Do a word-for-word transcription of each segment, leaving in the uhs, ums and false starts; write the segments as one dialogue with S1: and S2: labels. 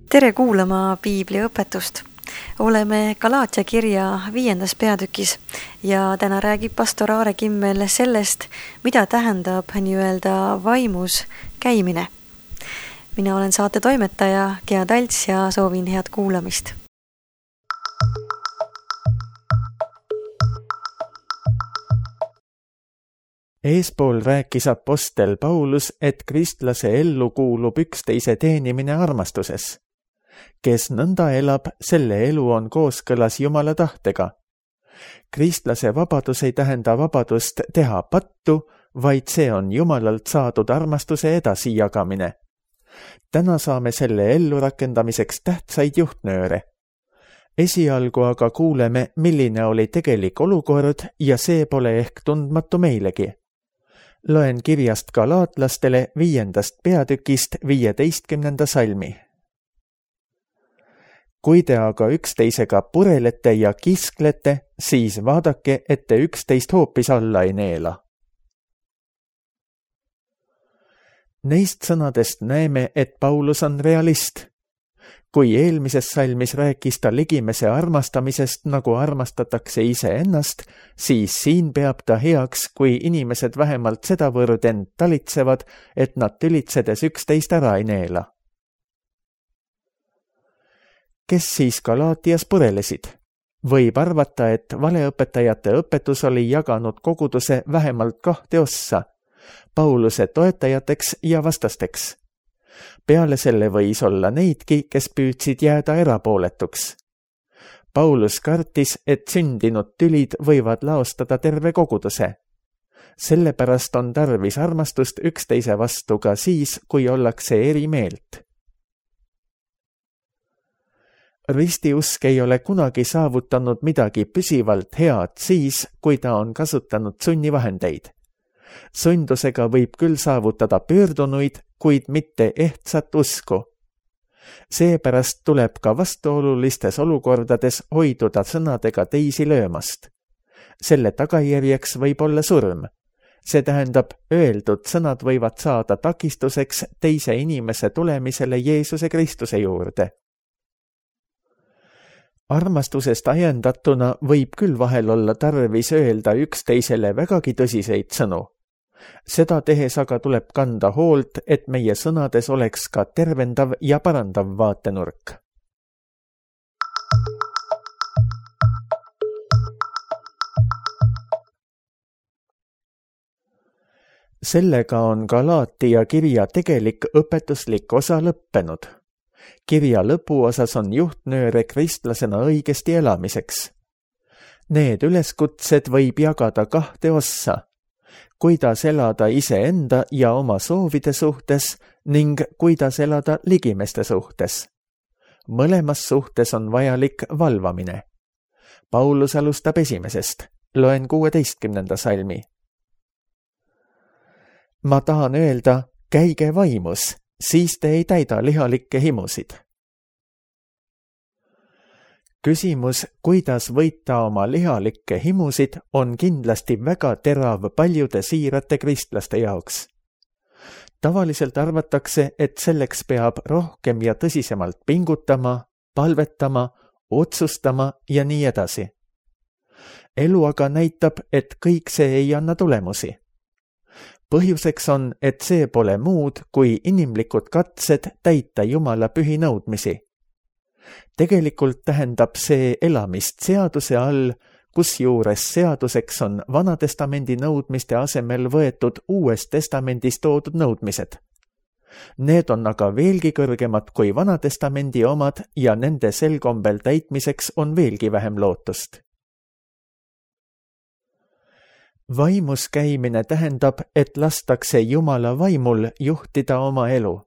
S1: Tere kuulama Piibli õpetust. Oleme Galaatia kirja viiendas peatükis ja täna räägib pastor Aare Kimmel sellest, mida tähendab nii-öelda vaimus käimine. Mina olen saate toimetaja Gea Talts ja soovin head kuulamist.
S2: Eespool rääkis apostel Paulus, et kristlase ellu kuulub üksteise teenimine armastuses. Kes nõnda elab, selle elu on kooskõlas Jumala tahtega. Kristlase vabadus ei tähenda vabadust teha pattu, vaid see on Jumalalt saadud armastuse edasijagamine. Täna saame selle ellu rakendamiseks tähtsaid juhtnööre. Esialgu aga kuuleme, milline oli tegelik olukord ja see pole ehk tundmatu meilegi. Loen kirjast galaatlastele viiendast peatükist viieteistkümnenda salmi. Kui te aga üksteisega purelete ja kisklete, siis vaadake, et te üksteist hoopis alla ei neela. Neist sõnadest näeme, et Paulus on realist. Kui eelmises salmis rääkis ta ligimese armastamisest, nagu armastatakse iseennast, siis siin peab ta heaks, kui inimesed vähemalt sedavõrd end talitsevad, et nad tülitsedes üksteist ära ei neela. Kes siis Galaatias purelesid? Võib arvata, et valeõpetajate õpetus oli jaganud koguduse vähemalt kahte ossa, Pauluse toetajateks ja vastasteks. Peale selle võis olla neidki, kes püüdsid jääda erapooletuks. Paulus kartis, et sündinud tülid võivad laostada terve koguduse. Sellepärast on tarvis armastust üksteise vastu ka siis, kui ollakse eri meelt. Ristiusk ei ole kunagi saavutanud midagi püsivalt head siis, kui ta on kasutanud sunnivahendeid. Sundusega võib küll saavutada pöördunuid, kuid mitte ehtsat usku. Seepärast tuleb ka vastuolulistes olukordades hoiduda sõnadega teisi löömast. Selle tagajärjeks võib olla surm. See tähendab, öeldud sõnad võivad saada takistuseks teise inimese tulemisele Jeesuse Kristuse juurde. Armastusest ajendatuna võib küll vahel olla tarvis öelda üksteisele vägagi tõsiseid sõnu. Seda tehes aga tuleb kanda hoolt, et meie sõnades oleks ka tervendav ja parandav vaatenurk. Sellega on Galaatia kirja tegelik õpetuslik osa lõppenud. Kirja lõpuosas on juhtnööre kristlasena õigesti elamiseks. Need üleskutsed võib jagada kahte ossa. Kuidas elada iseenda ja oma soovide suhtes ning kuidas elada ligimeste suhtes. Mõlemas suhtes on vajalik valvamine. Paulus alustab esimesest. Loen kuueteistkümnenda salmi. Ma tahan öelda, käige vaimus, siis te ei täida lihalikke himusid. Küsimus, kuidas võita oma lihalikke himusid, on kindlasti väga terav paljude siirate kristlaste jaoks. Tavaliselt arvatakse, et selleks peab rohkem ja tõsisemalt pingutama, palvetama, otsustama ja nii edasi. Elu aga näitab, et kõik see ei anna tulemusi. Põhjuseks on, et see pole muud kui inimlikud katsed täita Jumala pühi nõudmisi. Tegelikult tähendab see elamist seaduse all, kusjuures seaduseks on Vanatestamendi nõudmiste asemel võetud Uues Testamendis toodud nõudmised. Need on aga veelgi kõrgemad kui Vanatestamendi omad ja nende selkombel täitmiseks on veelgi vähem lootust. Vaimus käimine tähendab, et lastakse Jumala vaimul juhtida oma elu.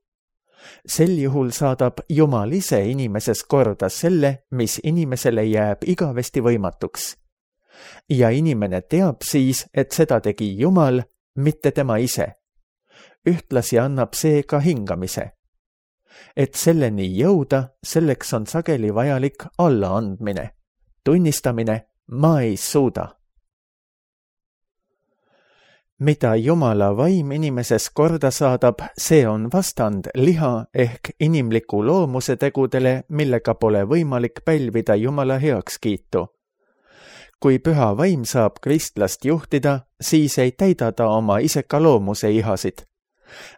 S2: Sel juhul saadab Jumal ise inimeses korda selle, mis inimesele jääb igavesti võimatuks. Ja inimene teab siis, et seda tegi Jumal, mitte tema ise. Ühtlasi annab see ka hingamise. Et selleni jõuda, selleks on sageli vajalik allaandmine. Tunnistamine, ma ei suuda. mida Jumala vaim inimeses korda saadab, see on vastand liha ehk inimliku loomuse tegudele, millega pole võimalik pälvida Jumala heakskiitu. Kui püha vaim saab kristlast juhtida, siis ei täida ta oma iseka loomuse ihasid.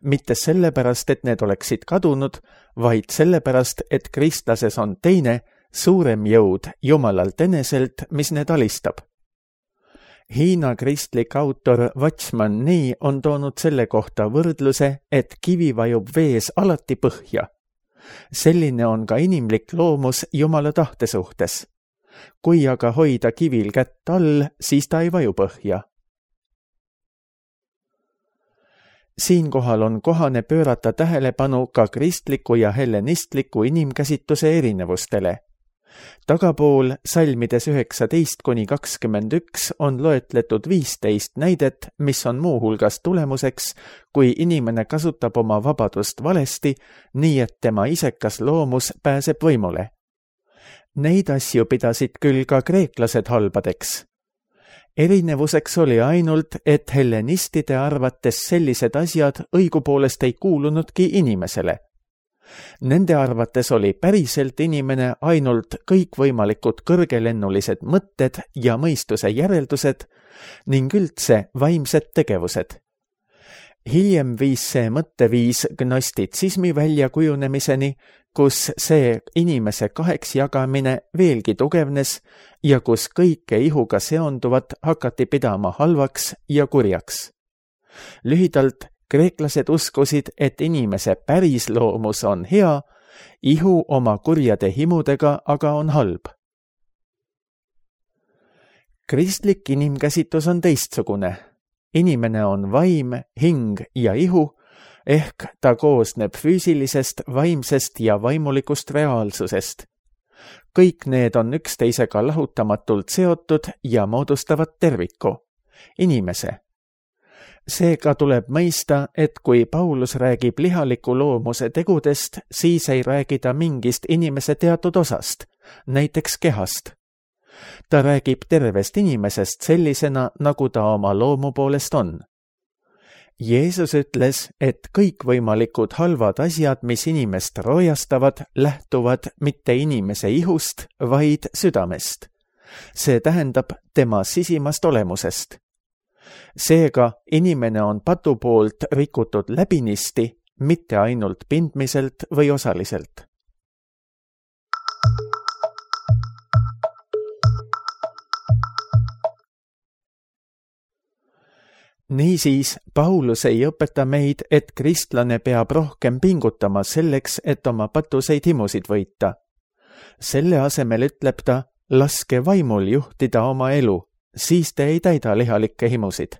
S2: Mitte sellepärast, et need oleksid kadunud, vaid sellepärast, et kristlases on teine, suurem jõud Jumalalt eneselt, mis need alistab. Hiina kristlik autor Watchman Nee on toonud selle kohta võrdluse, et kivi vajub vees alati põhja. Selline on ka inimlik loomus Jumala tahte suhtes. Kui aga hoida kivil kätt all, siis ta ei vaju põhja. Siinkohal on kohane pöörata tähelepanu ka kristliku ja hellenistliku inimkäsitluse erinevustele. Tagapool salmides üheksateist kuni kakskümmend üks on loetletud viisteist näidet, mis on muuhulgas tulemuseks, kui inimene kasutab oma vabadust valesti, nii et tema isekas loomus pääseb võimule. Neid asju pidasid küll ka kreeklased halbadeks. Erinevuseks oli ainult, et hellenistide arvates sellised asjad õigupoolest ei kuulunudki inimesele. Nende arvates oli päriselt inimene ainult kõikvõimalikud kõrgelennulised mõtted ja mõistuse järeldused ning üldse vaimsed tegevused. Hiljem viis see mõtteviis gnostitsismi väljakujunemiseni, kus see inimese kaheks jagamine veelgi tugevnes ja kus kõike ihuga seonduvat hakati pidama halvaks ja kurjaks. Lühidalt, kreeklased uskusid, et inimese päris loomus on hea, ihu oma kurjade himudega aga on halb. Kristlik inimkäsitlus on teistsugune. Inimene on vaim, hing ja ihu, ehk ta koosneb füüsilisest, vaimsest ja vaimulikust reaalsusest. Kõik need on üksteisega lahutamatult seotud ja moodustavad terviku, inimese. Seega tuleb mõista, et kui Paulus räägib lihaliku loomuse tegudest, siis ei räägi ta mingist inimese teatud osast, näiteks kehast. Ta räägib tervest inimesest sellisena, nagu ta oma loomu poolest on. Jeesus ütles, et kõikvõimalikud halvad asjad, mis inimest roojastavad, lähtuvad mitte inimese ihust, vaid südamest. See tähendab tema sisimast olemusest. Seega inimene on patu poolt rikutud läbinisti, mitte ainult pindmiselt või osaliselt. Niisiis, Paulus ei õpeta meid, et kristlane peab rohkem pingutama selleks, et oma patuseid himusid võita. Selle asemel ütleb ta, laske vaimul juhtida oma elu, siis te ei täida lihalikke himusid.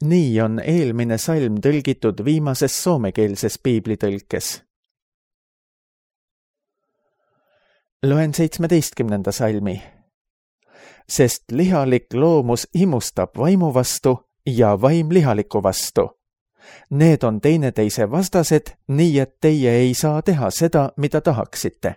S2: Nii on eelmine salm tõlgitud viimases soomekeelses piiblitõlkes. Loen seitsmeteistkümnenda salmi. Sest lihalik loomus himustab vaimu vastu ja vaim lihaliku vastu. Need on teineteise vastased, nii et teie ei saa teha seda, mida tahaksite.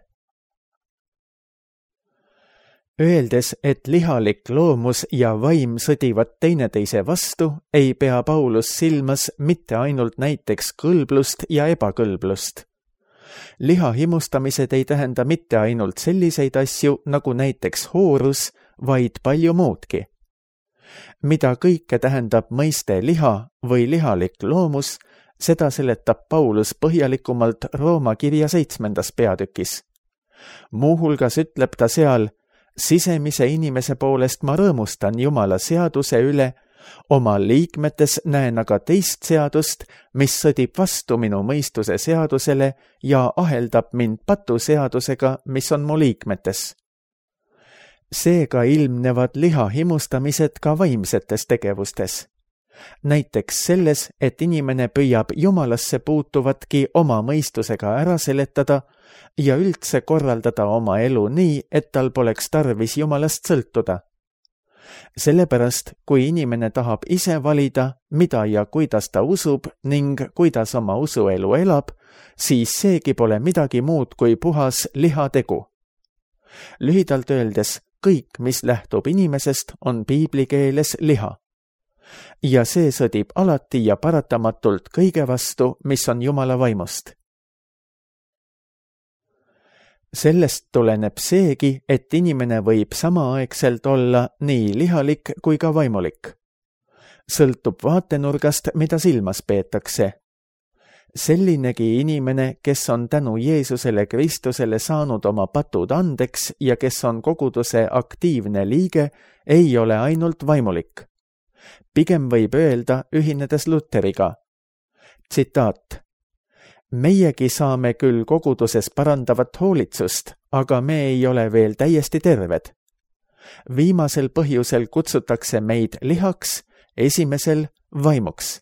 S2: Öeldes, et lihalik loomus ja vaim sõdivad teineteise vastu, ei pea Paulus silmas mitte ainult näiteks kõlblust ja ebakõlblust. Liha himustamised ei tähenda mitte ainult selliseid asju, nagu näiteks hoorus, vaid palju muudki. Mida kõike tähendab mõiste liha või lihalik loomus, seda seletab Paulus põhjalikumalt Rooma kirja seitsmendas peatükis. Muuhulgas ütleb ta seal, sisemise inimese poolest ma rõõmustan Jumala seaduse üle, oma liikmetes näen aga teist seadust, mis sõdib vastu minu mõistuse seadusele ja aheldab mind patuseadusega, mis on mu liikmetes. Seega ilmnevad liha himustamised ka vaimsetes tegevustes. Näiteks selles, et inimene püüab Jumalasse puutuvatki oma mõistusega ära seletada ja üldse korraldada oma elu nii, et tal poleks tarvis Jumalast sõltuda. Sellepärast, kui inimene tahab ise valida, mida ja kuidas ta usub ning kuidas oma usuelu elab, siis seegi pole midagi muud kui puhas lihategu. Lühidalt öeldes, kõik, mis lähtub inimesest, on piiblikeeles liha. ja see sõdib alati ja paratamatult kõige vastu, mis on Jumala vaimust. Sellest tuleneb seegi, et inimene võib samaaegselt olla nii lihalik kui ka vaimulik. Sõltub vaatenurgast, mida silmas peetakse. Sellinegi inimene, kes on tänu Jeesusele Kristusele saanud oma patud andeks ja kes on koguduse aktiivne liige, ei ole ainult vaimulik. Pigem võib öelda, ühinedes Luteriga. Tsitaat. Meiegi saame küll koguduses parandavat hoolitsust, aga me ei ole veel täiesti terved. Viimasel põhjusel kutsutakse meid lihaks, esimesel vaimuks.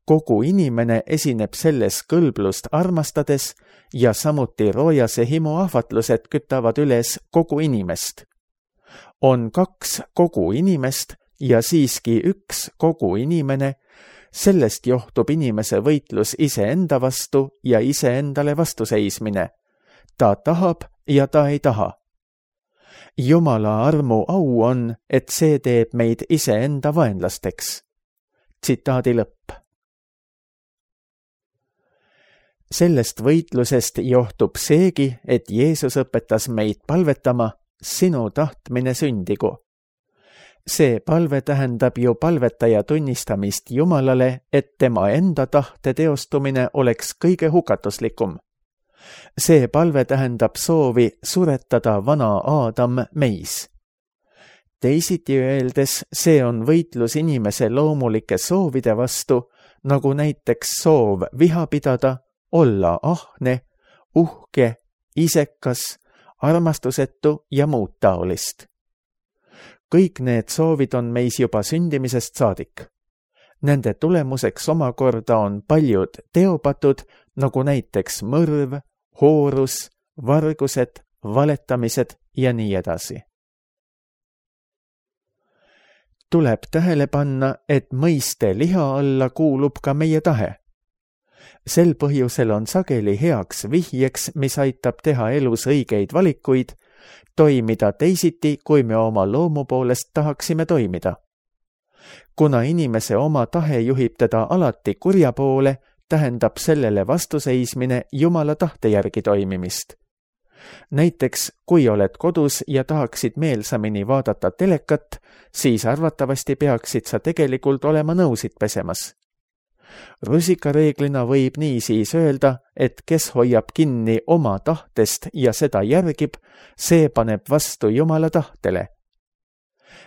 S2: Kogu inimene esineb selles kõlblust armastades ja samuti roojase himu ahvatlused kütavad üles kogu inimest. On kaks kogu inimest ja siiski üks kogu inimene, sellest johtub inimese võitlus iseenda vastu ja iseendale vastuseismine. Ta tahab ja ta ei taha. Jumala armu au on, et see teeb meid iseenda vaenlasteks. Tsitaadi lõpp. Sellest võitlusest johtub seegi, et Jeesus õpetas meid palvetama, sinu tahtmine sündigu. See palve tähendab ju palvetaja tunnistamist Jumalale, et tema enda tahte teostumine oleks kõige hukatuslikum. See palve tähendab soovi suretada vana Aadam meis. Teisiti öeldes, see on võitlus inimese loomulike soovide vastu, nagu näiteks soov viha pidada, olla ahne, uhke, isekas, armastusetu ja muud taolist. Kõik need soovid on meis juba sündimisest saadik. Nende tulemuseks omakorda on paljud teopatud, nagu näiteks mõrv, hoorus, vargused, valetamised ja nii edasi. Tuleb tähele panna, et mõiste liha alla kuulub ka meie tahe. Sel põhjusel on sageli heaks vihjeks, mis aitab teha elus õigeid valikuid, toimida teisiti, kui me oma loomu poolest tahaksime toimida. Kuna inimese oma tahe juhib teda alati kurja poole, tähendab sellele vastuseismine Jumala tahte järgi toimimist. Näiteks, kui oled kodus ja tahaksid meelsamini vaadata telekat, siis arvatavasti peaksid sa tegelikult olema nõusid pesemas. Rusikareeglina võib nii siis öelda, et kes hoiab kinni oma tahtest ja seda järgib, see paneb vastu Jumala tahtele.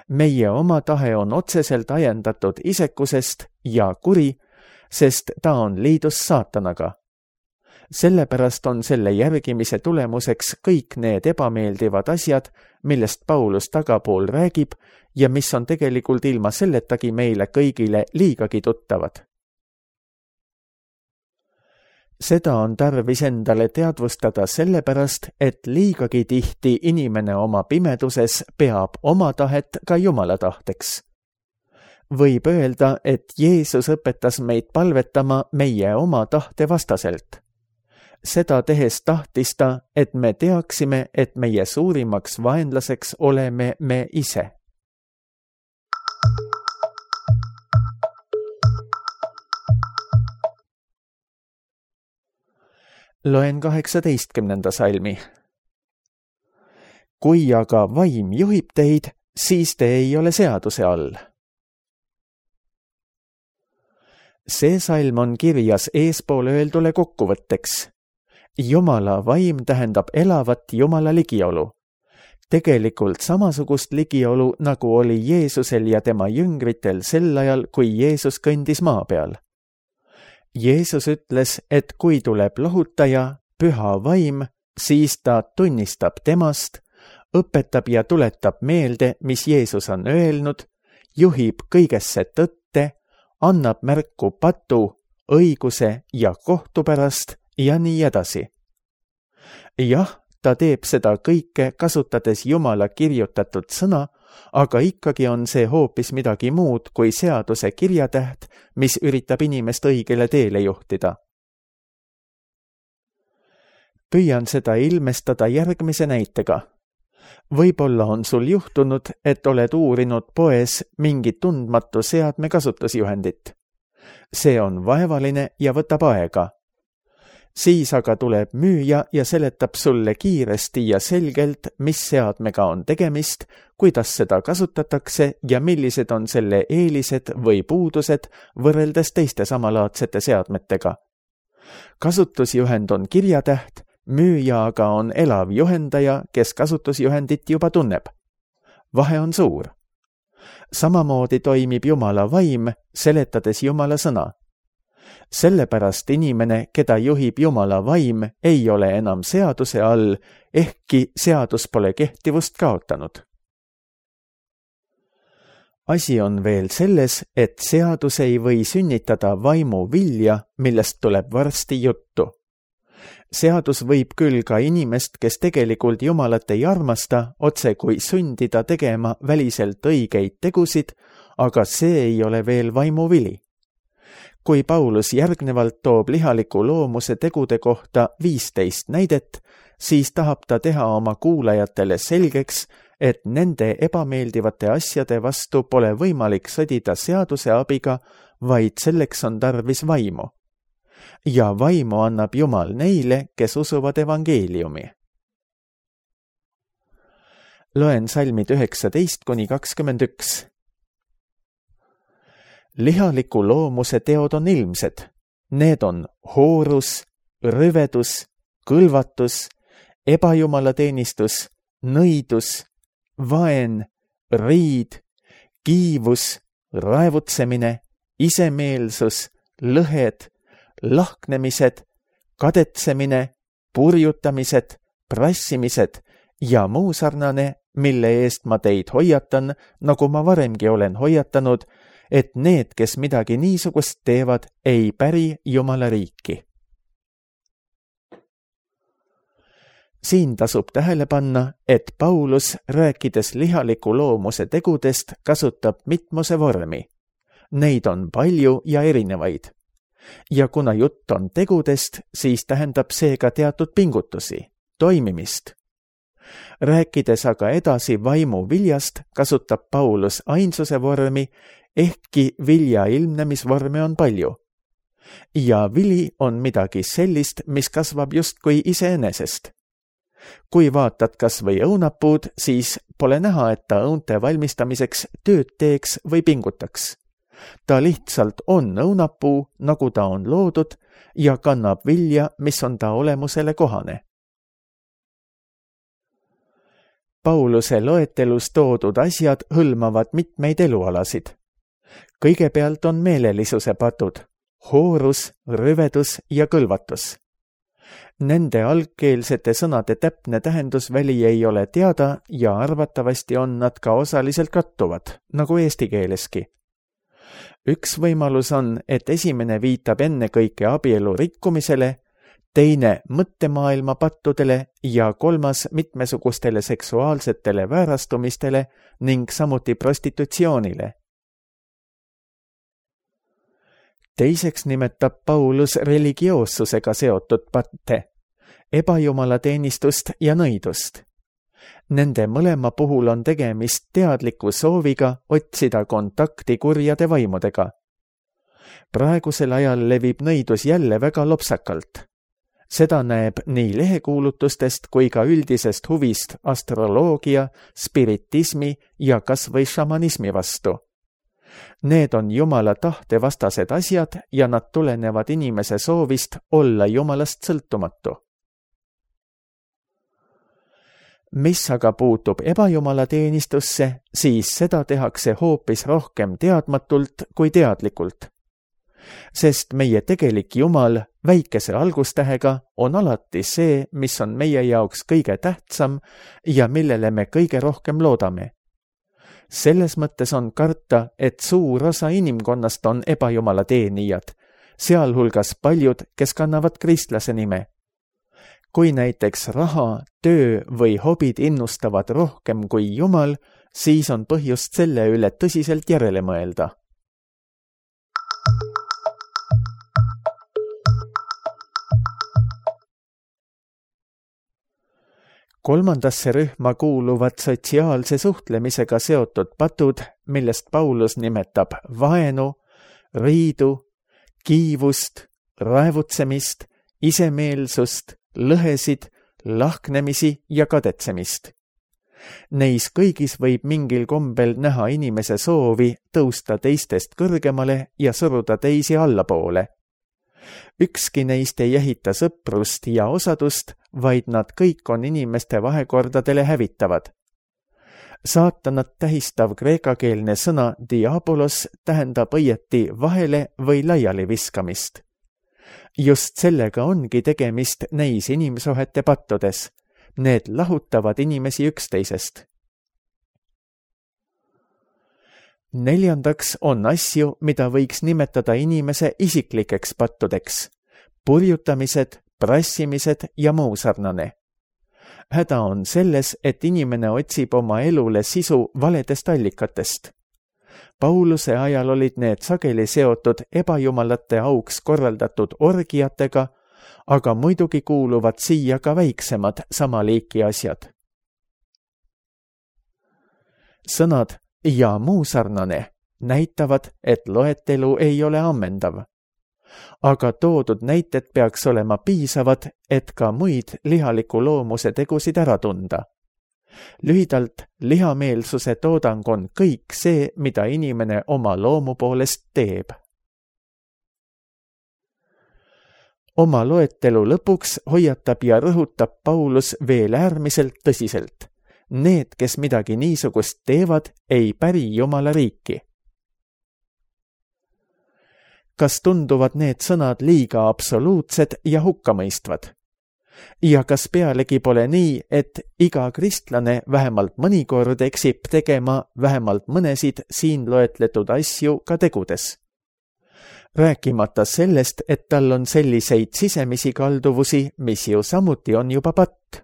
S2: Meie oma tahe on otseselt ajendatud isekusest ja kuri, sest ta on liidus saatanaga. Sellepärast on selle järgimise tulemuseks kõik need ebameeldivad asjad, millest Paulus tagapool räägib ja mis on tegelikult ilma selletagi meile kõigile liigagi tuttavad. Seda on tarvis endale teadvustada sellepärast, et liigagi tihti inimene oma pimeduses peab oma tahet ka Jumala tahteks. Võib öelda, et Jeesus õpetas meid palvetama meie oma tahte vastaselt. Seda tehes tahtis ta, et me teaksime, et meie suurimaks vaenlaseks oleme me ise. Loen kaheksateistkümnenda salmi. Kui aga vaim juhib teid, siis te ei ole seaduse all. See salm on kirjas eespool öeldule kokkuvõtteks. Jumala vaim tähendab elavat Jumala ligiolu. Tegelikult samasugust ligiolu, nagu oli Jeesusel ja tema jüngritel sel ajal, kui Jeesus kõndis maa peal. Jeesus ütles, et kui tuleb lohutaja, püha vaim, siis ta tunnistab temast, õpetab ja tuletab meelde, mis Jeesus on öelnud, juhib kõigesse tõtte, annab märku patu, õiguse ja kohtu pärast ja nii edasi. Jah, ta teeb seda kõike kasutades Jumala kirjutatud sõna, aga ikkagi on see hoopis midagi muud kui seaduse kirjatäht, mis üritab inimest õigele teele juhtida. Püüan seda ilmestada järgmise näitega. Võib-olla on sul juhtunud, et oled uurinud poes mingi tundmatu seadme kasutusjuhendit. See on vaevaline ja võtab aega. Siis aga tuleb müüja ja seletab sulle kiiresti ja selgelt, mis seadmega on tegemist, kuidas seda kasutatakse ja millised on selle eelised või puudused võrreldes teiste samalaadsete seadmetega. Kasutusjuhend on kirjatäht, müüja aga on elav juhendaja, kes kasutusjuhendit juba tunneb. Vahe on suur. Samamoodi toimib Jumala vaim, seletades Jumala sõna. Sellepärast inimene, keda juhib Jumala vaim, ei ole enam seaduse all, ehkki seadus pole kehtivust kaotanud. Asi on veel selles, et seadus ei või sünnitada vaimu vilja, millest tuleb varsti juttu. Seadus võib küll ka inimest, kes tegelikult Jumalat ei armasta, otse kui sundida tegema väliselt õigeid tegusid, aga see ei ole veel vaimuvili. Kui Paulus järgnevalt toob lihaliku loomuse tegude kohta viisteist näidet, siis tahab ta teha oma kuulajatele selgeks, et nende ebameeldivate asjade vastu pole võimalik sõdida seaduse abiga, vaid selleks on tarvis vaimu. Ja vaimu annab Jumal neile, kes usuvad evangeeliumi. Loen salmid üheksateist kuni kakskümmend üks. Lihaliku loomuse teod on ilmsed. Need on hoorus, rüvedus, kõlvatus, ebajumalateenistus, nõidus, vaen, riid, kiivus, raevutsemine, isemeelsus, lõhed, lahknemised, kadetsemine, purjutamised, prassimised ja muu sarnane, mille eest ma teid hoiatan, nagu ma varemgi olen hoiatanud, et need, kes midagi niisugust teevad, ei päri Jumala riiki. Siin tasub tähele panna, et Paulus, rääkides lihaliku loomuse tegudest, kasutab mitmuse vormi. Neid on palju ja erinevaid. Ja kuna jutt on tegudest, siis tähendab see ka teatud pingutusi, toimimist. Rääkides aga edasi vaimu viljast, kasutab Paulus ainsuse vormi, ehkki vilja ilmnemisvorme on palju. Ja vili on midagi sellist, mis kasvab justkui iseenesest. Kui vaatad kas või õunapuud, siis pole näha, et ta õunte valmistamiseks tööd teeks või pingutaks. Ta lihtsalt on õunapuu, nagu ta on loodud, ja kannab vilja, mis on ta olemusele kohane. Pauluse loetelus toodud asjad hõlmavad mitmeid elualasid. Kõigepealt on meelelisuse patud, hoorus, rüvedus ja kõlvatus. Nende algkeelsete sõnade täpne tähendusväli ei ole teada ja arvatavasti on nad ka osaliselt kattuvad, nagu eesti keeleski. Üks võimalus on, et esimene viitab ennekõike abielu rikkumisele, teine mõttemaailma pattudele ja kolmas mitmesugustele seksuaalsetele väärastumistele ning samuti prostitutsioonile. Teiseks nimetab Paulus religioossusega seotud patte, ebajumalateenistust ja nõidust. Nende mõlema puhul on tegemist teadliku sooviga otsida kontakti kurjade vaimudega. Praegusel ajal levib nõidus jälle väga lopsakalt. Seda näeb nii lehekuulutustest kui ka üldisest huvist astroloogia, spiritismi ja kas või šamanismi vastu. Need on Jumala tahte vastased asjad ja nad tulenevad inimese soovist olla Jumalast sõltumatu. Mis aga puutub ebajumalateenistusse, siis seda tehakse hoopis rohkem teadmatult kui teadlikult. Sest meie tegelik Jumal väikese algustähega on alati see, mis on meie jaoks kõige tähtsam ja millele me kõige rohkem loodame. Selles mõttes on karta, et suur osa inimkonnast on ebajumalateenijad, sealhulgas paljud, kes kannavad kristlase nime. Kui näiteks raha, töö või hobid innustavad rohkem kui Jumal, siis on põhjust selle üle tõsiselt järele mõelda. kolmandasse rühma kuuluvad sotsiaalse suhtlemisega seotud patud, millest Paulus nimetab vaenu, riidu, kiivust, raevutsemist, isemeelsust, lõhesid, lahknemisi ja kadetsemist. Neis kõigis võib mingil kombel näha inimese soovi tõusta teistest kõrgemale ja suruda teisi allapoole. Ükski neist ei ehita sõprust ja osadust, vaid nad kõik on inimeste vahekordadele hävitavad. Saatanat tähistav kreekakeelne sõna diabolos tähendab õieti vahele või laiali viskamist. Just sellega ongi tegemist neis inimsuhete pattudes. Need lahutavad inimesi üksteisest. Neljandaks on asju, mida võiks nimetada inimese isiklikeks pattudeks. Purjutamised, prassimised ja muu sarnane. Häda on selles, et inimene otsib oma elule sisu valedest allikatest. Pauluse ajal olid need sageli seotud ebajumalate auks korraldatud orgiatega, aga muidugi kuuluvad siia ka väiksemad sama liiki asjad. Sõnad ja muu sarnane näitavad, et loetelu ei ole ammendav. Aga toodud näited peaks olema piisavad, et ka muid lihaliku loomuse tegusid ära tunda. Lühidalt, lihameelsuse toodang on kõik see, mida inimene oma loomu poolest teeb. Oma loetelu lõpuks hoiatab ja rõhutab Paulus veel äärmiselt tõsiselt. Need, kes midagi niisugust teevad, ei päri Jumala riiki. Kas tunduvad need sõnad liiga absoluutsed ja hukkamõistvad? Ja kas pealegi pole nii, et iga kristlane vähemalt mõnikord eksib tegema vähemalt mõnesid siin loetletud asju ka tegudes? Rääkimata sellest, et tal on selliseid sisemisi kalduvusi, mis ju samuti on juba patt.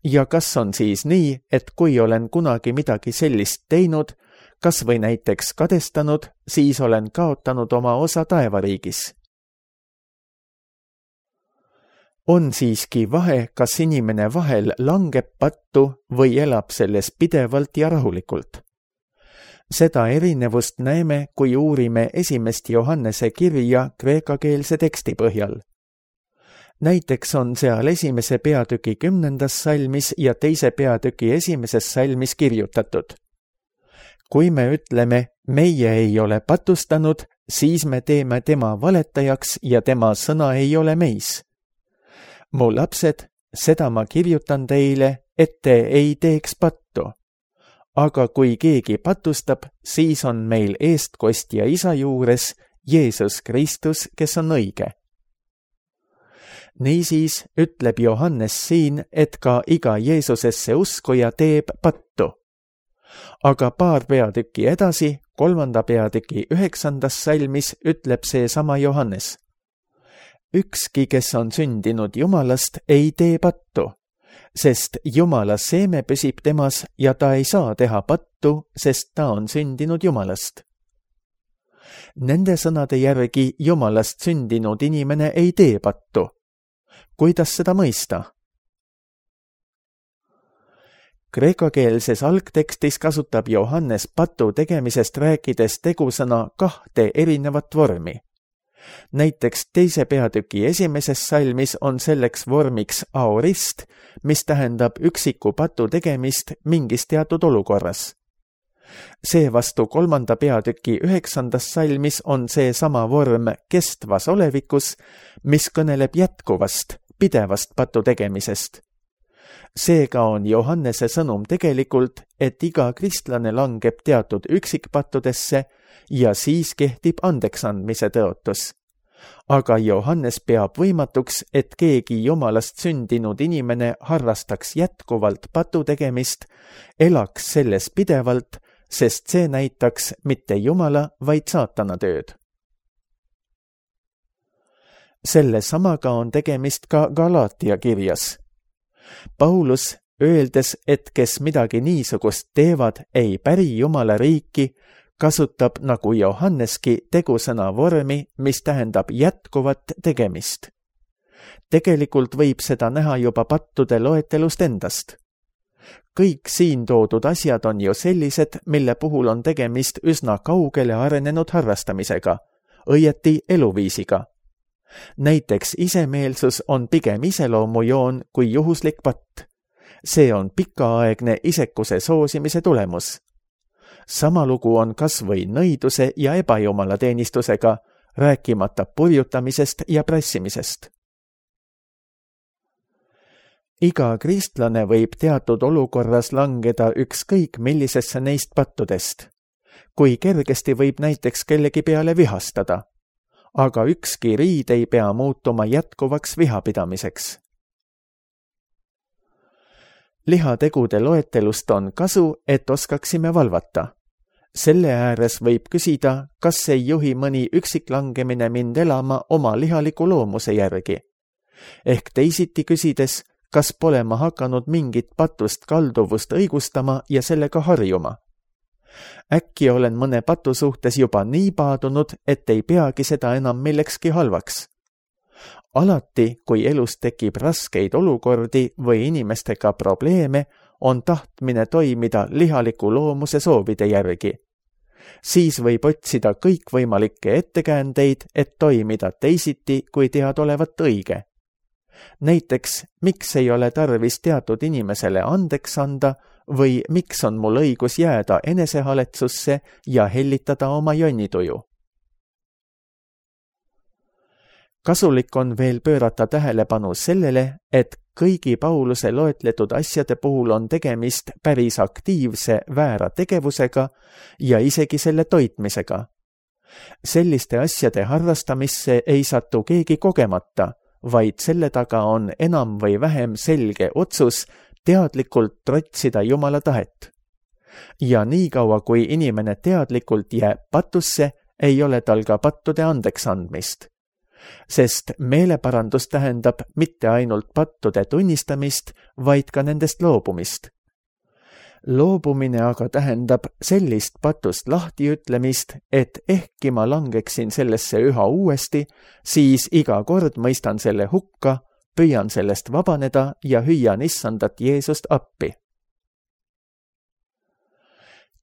S2: Ja kas on siis nii, et kui olen kunagi midagi sellist teinud, kas või näiteks kadestanud, siis olen kaotanud oma osa taevariigis? On siiski vahe, kas inimene vahel langeb pattu või elab selles pidevalt ja rahulikult. Seda erinevust näeme, kui uurime esimest Johannese kirja kreekakeelse teksti põhjal. Näiteks on seal esimese peatüki kümnendas salmis ja teise peatüki esimeses salmis kirjutatud. Kui me ütleme, meie ei ole patustanud, siis me teeme tema valetajaks ja tema sõna ei ole meis. Mu lapsed, seda ma kirjutan teile, et te ei teeks pattu. Aga kui keegi patustab, siis on meil eestkostja isa juures Jeesus Kristus, kes on õige. Niisiis ütleb Johannes siin, et ka iga Jeesusesse uskuja teeb pattu. Aga paar peatükki edasi, kolmanda peatüki üheksandas salmis ütleb see sama Johannes. Ükski, kes on sündinud Jumalast, ei tee pattu, sest Jumala seeme püsib temas ja ta ei saa teha pattu, sest ta on sündinud Jumalast. Nende sõnade järgi Jumalast sündinud inimene ei tee pattu. Kuidas seda mõista? Kreekakeelses algtekstis kasutab Johannes patu tegemisest rääkides tegusõna kahte erinevat vormi. Näiteks teise peatüki esimeses salmis on selleks vormiks aorist, mis tähendab üksiku patu tegemist mingis teatud olukorras. Seevastu kolmanda peatüki üheksandas salmis on see sama vorm kestvas olevikus, mis kõneleb jätkuvast, pidevast patu tegemisest. Seega on Johannese sõnum tegelikult, et iga kristlane langeb teatud üksikpattudesse ja siis kehtib andeksandmise tõotus. Aga Johannes peab võimatuks, et keegi Jumalast sündinud inimene harrastaks jätkuvalt patu tegemist, elaks selles pidevalt, sest see näitaks mitte Jumala, vaid saatana tööd. Selle samaga on tegemist ka Galaatia kirjas. Paulus, öeldes, et kes midagi niisugust teevad, ei päri Jumala riiki, kasutab nagu Johanneski tegusõna vormi, mis tähendab jätkuvat tegemist. Tegelikult võib seda näha juba pattude loetelust endast. Kõik siin toodud asjad on ju sellised, mille puhul on tegemist üsna kaugele arenenud harrastamisega, õieti eluviisiga. Näiteks isemeelsus on pigem iseloomujoon kui juhuslik patt. See on pikaaegne isekuse soosimise tulemus. Sama lugu on kas või nõiduse ja ebajumalateenistusega, rääkimata purjutamisest ja prassimisest. Iga kristlane võib teatud olukorras langeda ükskõik millisesse neist pattudest. Kui kergesti võib näiteks kellegi peale vihastada, aga ükski riid ei pea muutuma jätkuvaks vihapidamiseks. Lihategude loetelust on kasu, et oskaksime valvata. Selle ääres võib küsida, kas ei juhi mõni üksiklangemine mind elama oma lihaliku loomuse järgi. Ehk teisiti küsides, kas pole ma hakanud mingit patust kalduvust õigustama ja sellega harjuma. Äkki olen mõne patu suhtes juba nii paadunud, et ei peagi seda enam millekski halvaks. Alati, kui elus tekib raskeid olukordi või inimestega probleeme, on tahtmine toimida lihaliku loomuse soovide järgi. Siis võib otsida kõikvõimalikke ettekäändeid, et toimida teisiti, kui tead olevat õige. Näiteks, miks ei ole tarvis teatud inimesele andeks anda või miks on mul õigus jääda enesehaletsusse ja hellitada oma jonnituju. Kasulik on veel pöörata tähelepanu sellele, et kõigi Pauluse loetletud asjade puhul on tegemist päris aktiivse väära tegevusega ja isegi selle toitmisega. Selliste asjade harrastamisse ei satu keegi kogemata, vaid selle taga on enam või vähem selge otsus teadlikult trotsida Jumala tahet. Ja niikaua, kui inimene teadlikult jääb patusse, ei ole tal ka pattude andeks andmist. Sest meeleparandus tähendab mitte ainult pattude tunnistamist, vaid ka nendest loobumist. Loobumine aga tähendab sellist patust lahtiütlemist, et ehkki ma langeksin sellesse üha uuesti, siis iga kord mõistan selle hukka, püüan sellest vabaneda ja hüüan issandat Jeesust appi.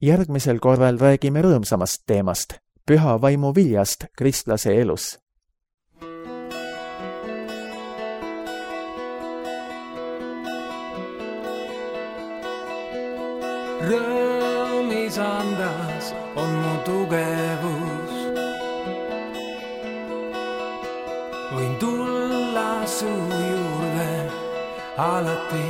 S2: Järgmisel korral räägime rõõmsamast teemast, püha vaimu viljast kristlase elus.
S3: Rõõmis andas on mu tugevus. Võin tulla su juurde alati.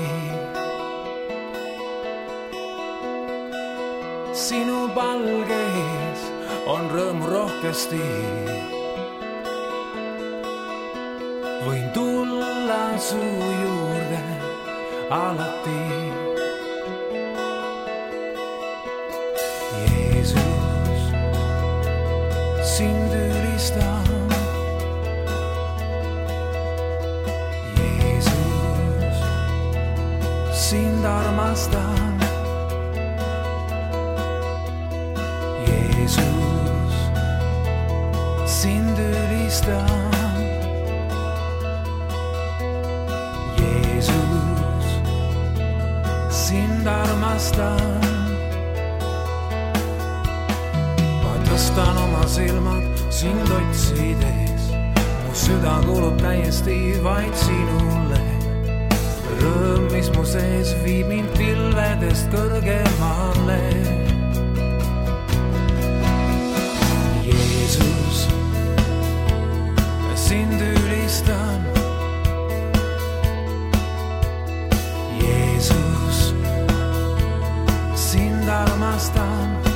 S3: Sinu palgeis on rõõmu rohkesti. Võin tulla su juurde alati. Jeesus, sind ülistan. Jeesus, sind armastan. Jeesus, sind ülistan. Jeesus, sind armastan. Tõstan oma silmad sind otsides, mu süda kuulub täiesti vaid sinule. Rõõm, mis mu sees viib mind pilvedest kõrgemale. Jeesus, sind ülistan. Jeesus, sind armastan.